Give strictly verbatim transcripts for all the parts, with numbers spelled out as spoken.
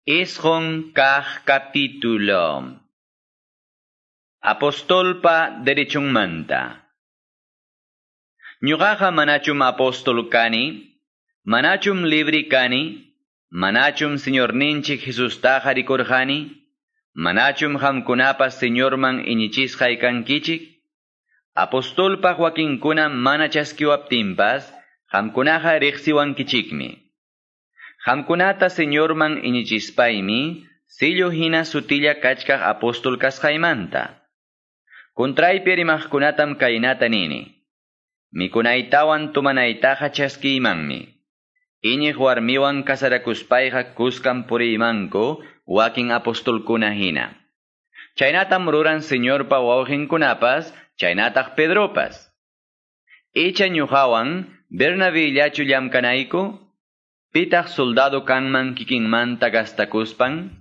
Isqun kaq capítulo. Apostolpa derechunmanta. Ñuqaqa manachum apóstol kani, manachum libri kani, manachum Señorninchik Jesustaqa rikurqani, manachum qamkunapas Señorman iñichisqay kankichik, apostolpaq wakinkuna mana chaskiwaptinpas, qamkunaqa riqsiwankichikmi. Qamkunata Señorman iñichispaymi, sillu hina sutilla kachkaq apóstol kasqaymanta. Contraypi rimaqkunatam kaynata nini. Mikunaytawan tumanaytaqa chaskiymanmi. Iñiq warmiwan kasarakuspayqa kuskan puriymanku wakin apostolkuna hina. Chaynatam ruran Señorpa wawqinkunapas, chaynataq Pedropas. Icha ñuqawan Bernabillachu llamkanayku? Pitaq soldado kanman kikinmanta gastakuspan?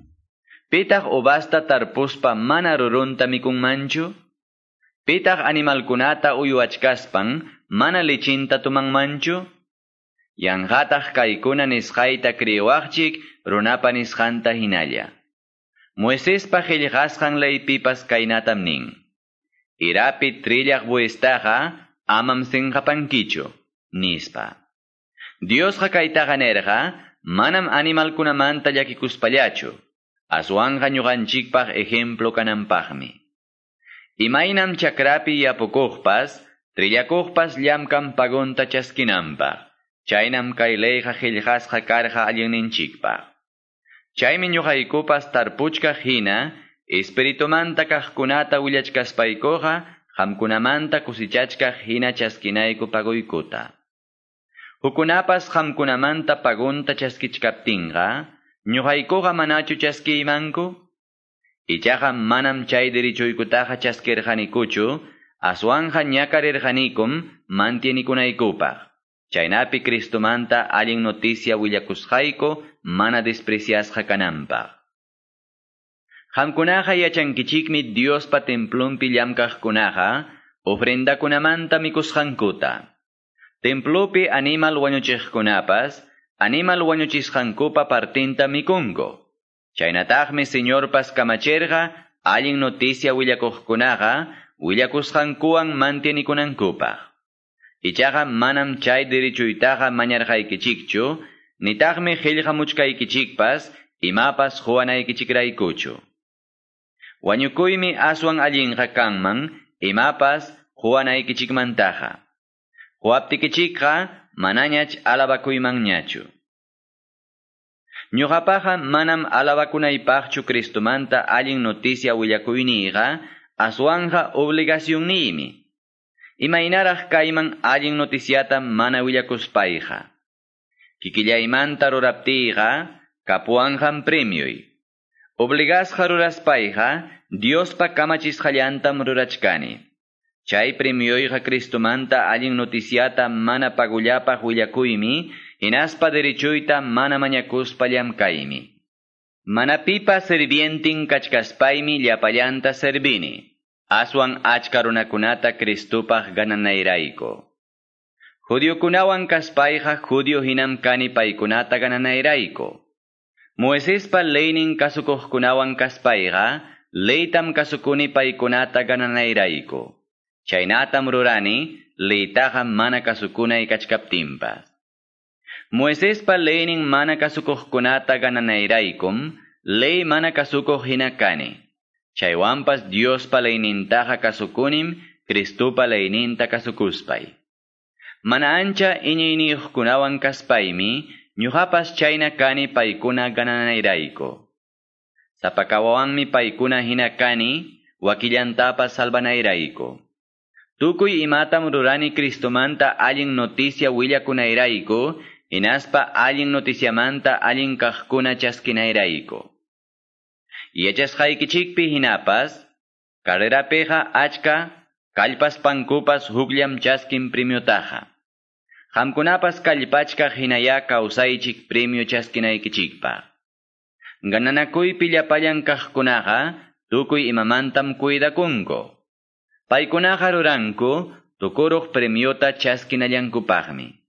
Pitaq uvasta tarpuspa mana rurunta mikunmanchu? Pitaq animalkunata uywachkaspan mana lichinta tumanmanchu? Yanqataq kaykuna nisqayta kriwaqchik runapa nisqanta hinalla. Moisespa qillqasqan leypipas kaynatam nin. Irapi trillaq bueystaqa amam sinqapankichu, nispa. Diosqa kaytaqa nirqa, manam animalkunamanta llakikuspallachu, aswanqa ñuqanchikpaq ejemplo kananpaqmi. Imaynam chakrapi yapukuqpas, trillakuqpas llamkan pagunta chaskinanpaq, chaynam kay leyqa qillqasqa karqa allinninchikpaq. Chaymi ñuqaykupas tarpuchkaq hina, espiritumanta kaqkunata willachkaspaykuqa, qamkunamanta kusichachkaq hina chaskinayku paguykuta. Hukunapas qamkunamanta pagunta chaskichkaptinqa, ñuqaykuqa manachu chaskiymanku? Ichaqa manam chay derechoykutaqa chaskirqanikuchu, aswanqa ñakarirqanikum mantienikunaykupaq. Chaynapi Cristomanta allin noticia willakusqayku mana despreciasqa kananpaq. Qamkunaqa yachankichikmi Diospa templonpi llamkaqkunaqa ofrendakunamanta mikusqankuta. Templopi animal wañuchiqkunapas, animal wañuchisqankupa partinta mikunku. Chaynataqmi Señorpas kamachirqa allin noticia willakuqkunaqa willakusqankuwan mantienikunankupaq. Ichaqa manam chay derechuytaqa mañarqaykichikchu, nitaqmi qillqamuchkaykichikpas imapas quwanaykichikraykuchu. Wañukuymi aswan allinqa kanman imapas quwanaykichikmantaqa. Quwaptikichikqa manañach alabakuymanñachu. Ñuqapaqa manam alabakunaypaqchu Cristomanta allin noticia willakuyniyqa, aswanqa obligacionniymi. Imaynaraq kayman allin noticiata mana willakuspayqa. Kikillaymanta ruraptiyqa, kapuwanqam premioy. Obligasqa ruraspayqa, Diospa kamachisqallantam rurachkani. Chay premioyqa Cristomanta allin noticiata mana pagullapaq willakuymi, hinaspa derechuyta mana mañakuspa llamkaymi. Mana pipa sirvientin kachkaspaymi llapallanta servini, aswan achka runakunata Cristopaq gananayrayku. Judiokunawan kaspayqa judio hinam kani paykunata gananayrayku. Moisespa leynin kasukuqkunawan kaspayqa, leytam kasukuni paykunata gananayrayku. Chaynatam rurani, leytaqa mana kasukunay kachkaptinpas. Moisespa leynin mana kasukuqkunata gananayraykum, ley mana kasukuq hina kani. Chaywanpas Diospa leynintaqa kasukunim, Cristopa leyninta kasukuspay. Mana ancha iñiyniyuqkunawan kaspaymi, ñuqapas chayna kani paykuna gananayrayku. Sapakawawanmi paykuna hina kani, wakillantapas salvanayrayku. Tukuy imatam rurani Cristomanta allin noticia willakunayrayku, hinaspa allin noticiamanta allin kaqkuna chaskinayrayku. Yachasqaykichikpi hinapas, carrerapiqa achka kallpaspankupas hukllam chaskin premiotaqa. Qamkunapas kallpachkaq hinaya kawsaychik premio chaskinaykichikpaq. Gananakuypi llapallan kaqkunaqa tukuy imamantam cuidakunku. Paykunaqa ruranku tukuruq premiota chaskinallankupaqmi.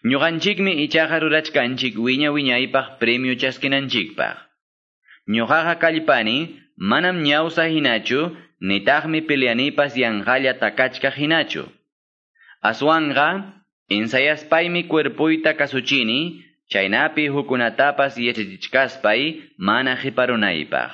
Ñuqanchikmi ichaqa rurachkanchik wiña wiñaypaq premio chaskinanchikpaq. Ñuqaqa kallpani manam ñawsa hinachu, nitaqmi peleanipas yanqalla takachkaq hinachu. Aswanqa, ensayaspaymi cuerpoyta kasuchini, chaynapi hukkunatapas yachachichkaspay mana qiparunaypaq.